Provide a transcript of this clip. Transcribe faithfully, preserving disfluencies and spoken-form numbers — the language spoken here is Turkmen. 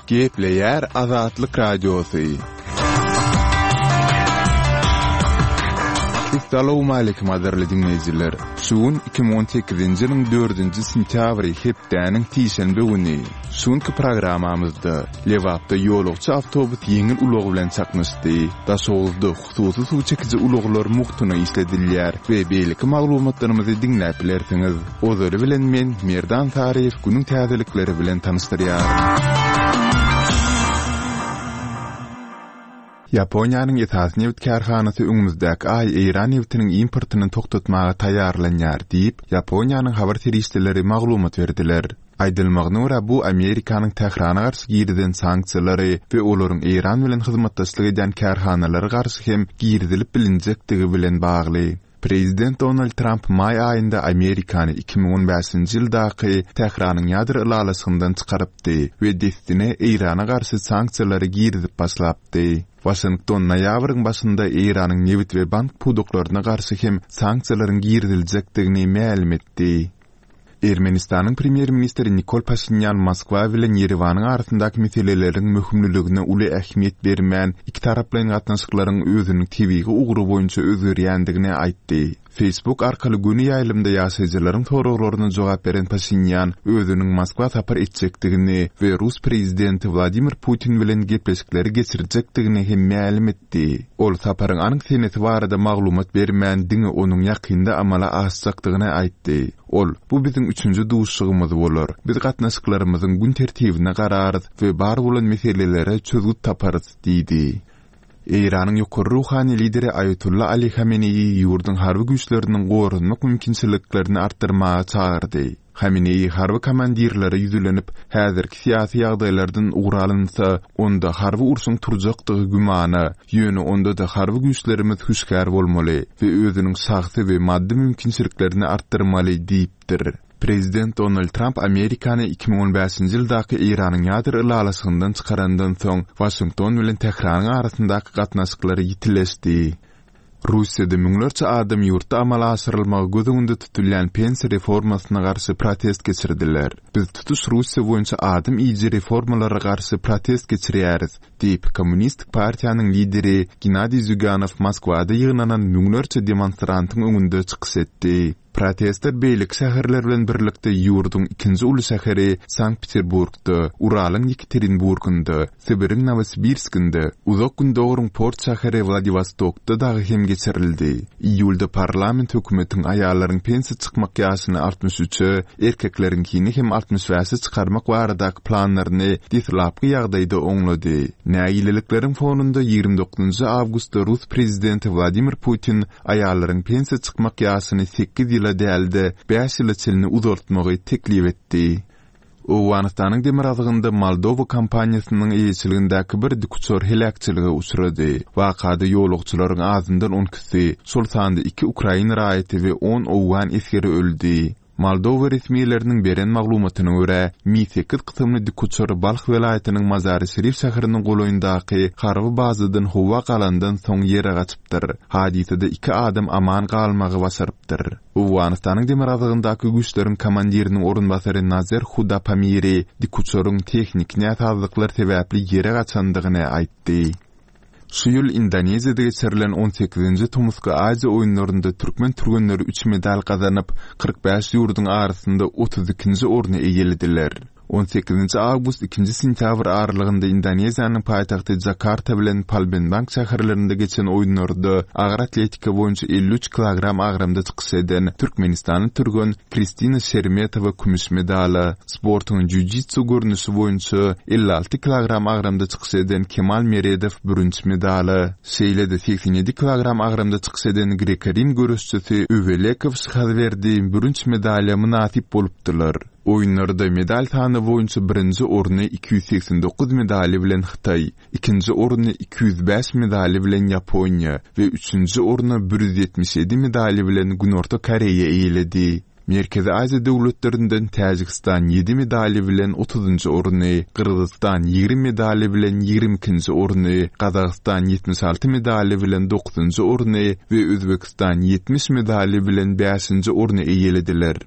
Gepleýär Azatlyk Radiosy. Essalawmaleýkim gadyrly diňleýjiler! Şu gün iki müň on sekizinji ýylyň dördünji sentýabry hepdäniň sişenbe güni. Şu günki programmamyzda Lebapda ýolagçy awtobus ýeňil ulag bilen çaknyşdy. Daşoguzda hususy suw çekiji ulaglar mugtuna işledilýär we beýleki maglumatlarymyzy diňläp bilersiňiz. Ozaly bilen men Merdan Saryýew günüň täzelikleri bilen tanyşdyrýaryn. Ýaponiýanyň esasy nebit kärhanasy öňümizdäki aý Eýran nebitiniň importyny togtatmaga taýýarlanýar diýip, Ýaponiýanyň habar serişdeleri maglumat berdiler. Aýdylmagyna görä, bu Amerikanyň Tährana garşy girizen sanksiýalary we olaryň Eýran bilen hyzmatdaşlyk edýän kärhanalara garşy hem girizilip bilinjekdigi bilen bagly. Prezident Donald Tramp maý aýynda Amerikany iki müň on bäşinji ýyldaky Tähranyň ýadro ylalaşygyndan çykarypdy we dessine Eýrana garşy sanksiýalary girizip başlapdy. Waşington noýabryň başynda Eýranyň nebit we bank pudaklaryna garşy hem sanksiýalaryň giriziljekdigini mälim etdi. Ermenistanyň premýer-ministri Nikol Paşinýan Moskwa bilen Ýerewanyň arasyndaky meseleleriň möhümliligine uly ähmiýet bermän, ikitaraplaýyn gatnaşyklaryň özüniň tebigy ugry boýunça özgerýändigini aýtdy. Facebook arkaly göni ýaýlymda ýaşaýjylaryň soraglaryna jogap beren Paşinýan özüniň Moskwa sapar etjekdigini we rus prezidenti Wladimir Putin bilen gepleşikleri geçirjekdigini hem mälim etdi. Ol saparyň anyk senesi barada maglumat bermän, diňe onuň ýakynda amala aşjakdygyny aýtdy. Ol, Bu biziň üçünji duşuşygymyz bolar. Biz gatnaşyklarymyzyň gün tertibine gararys we bar bolan meselelere çözgüt taparys diýdi. Eýranyň ýokary ruhany lideri Aýatolla Ali Hameneýi ýurduň harby güýçleriniň goranmak mümkinçiliklerini artdyrmaga çagyrdy. Hameneýi harby komandirlere ýüzlenip, häzirki syýasy ýagdaýlardan ugur alynsa, onda harby urşuň turjakdygy gümana, ýöne onda-da harby güýçlerimiz hüşgär bolmaly we özüniň şahsy we maddy mümkinçiliklerini artdyrmaly diýipdir. Prezident Donald Tramp Amerikany iki müň on bäşinji ýyldaky Eýranyň ýadro ylalaşygyndan çykarandan soň, Waşington bilen Tähranyň arasyndaky gatnaşyklar ýitileşdi. Russiýada müňlerçe adam ýurtda amala aşyrylmagy göz öňünde tutulýan pensiýa reformasyna garşy protest geçirdiler. Biz tutuş Russiýa boýunça adam iýiji reformalara garşy protest geçirýäris, diýip, Kommunistik partiýanyň lideri Gennadiý Zýuganow Moskwada ýygnanan müňlerçe demonstrantyň öňünde çykyş etdi. Protestler beýleki şäherler bilen birlikde ýurduň ikinji uly şäheri Sankt-Peterburgda, Uralyň Ýekaterinburgynda, Sibiriň Nowosibirskinde, Uzak Gündogaryň port şäheri Wladiwostokda dagy hem geçirildi. Iýulda parlament hökümetiň aýallaryň pensiýa çykmak ýaşyny altmyş üçe, erkekleriňkini hem altmyş bäşe çykarmak baradaky planlaryny deslapky ýagdaýda oňlady. Nägilelikleriň fonunda ýigrimi dokuzynjy awgustda rus prezidenti Wladimir Putin aýallaryň pensiýa çykmak ýaşyny sekiz ýyla däl-de, bäş ýyla çenli uzaltmagy teklip etdi. Owganystanyň demirgazygynda Moldowa kompaniýasynyň eýeçiligindäki bir dikuçar heläkçilige uçrady. Wakada ýolagçylaryň azyndan on ikisi, şol sanda iki ukrain raýaty we on owgan esgeri öldi. Moldowa resmileriniň beren maglumatyna görä, Mi sekiz kysymly dikuçar Balh welaýatynyň Mazary-Şerif şäheriniň golaýyndaky harby bazadan howa galandan soň ýere gaçypdyr. Hadysada iki adam aman galmagy başarypdyr. Owganystanyň demirgazygyndaky güýçleriň komandiriniň orunbasary Nazer Huda Pamiri dikuçaryň tehniki näsazlyklar sebäpli ýere gaçandygyny aýtdy. Şu ýyl Indoneziýada geçirilen on sekizinji tomusky Aziýa oýunlarynda türkmen türgenleri üç medal gazanyp, kyrk bäş ýurduň arasynda otuz ikinji orny eýelediler. On sekizinji awgust ikinji sentýabr aralygynda Indoneziýanyň paýtagty Jakarta bilen Palembang şäherlerinde geçen oýunlarda agyr atletika boýunça elli üç kilogram agramda çykyş eden türkmenistanly türgen Kristina Şermetowa kümüş medala, sportuň jiu-jitsu görnüşi boýunça elli alty kilogram agramda çykyş eden Kemal Meredow bürünç medala, şeýle-de segsen ýedi kilogram agramda çykyş eden greko-rim göreşçisi Öwelekow Şyhazberdi bürünç medala mynasyp bolupdylar. Oýunlarda medal sany boýunça birinji orny iki ýüz segsen dokuz medaly bilen Hytaý, ikinji orny iki ýüz bäş medaly bilen Ýaponiýa we üçünji orny bir ýüz ýetmiş ýedi medaly bilen Günorta Koreýa eýeledi. Merkezi Aziýa döwletlerinden Täjigistan ýedi medaly bilen otuzynjy orny, Gyrgyzystan ýigrimi medaly bilen ýigrimi ikinji orny, Gazagystan ýetmiş alty medaly bilen dokuzynjy orny we Özbegistan ýetmiş medaly bilen bäşinji orny eýelediler.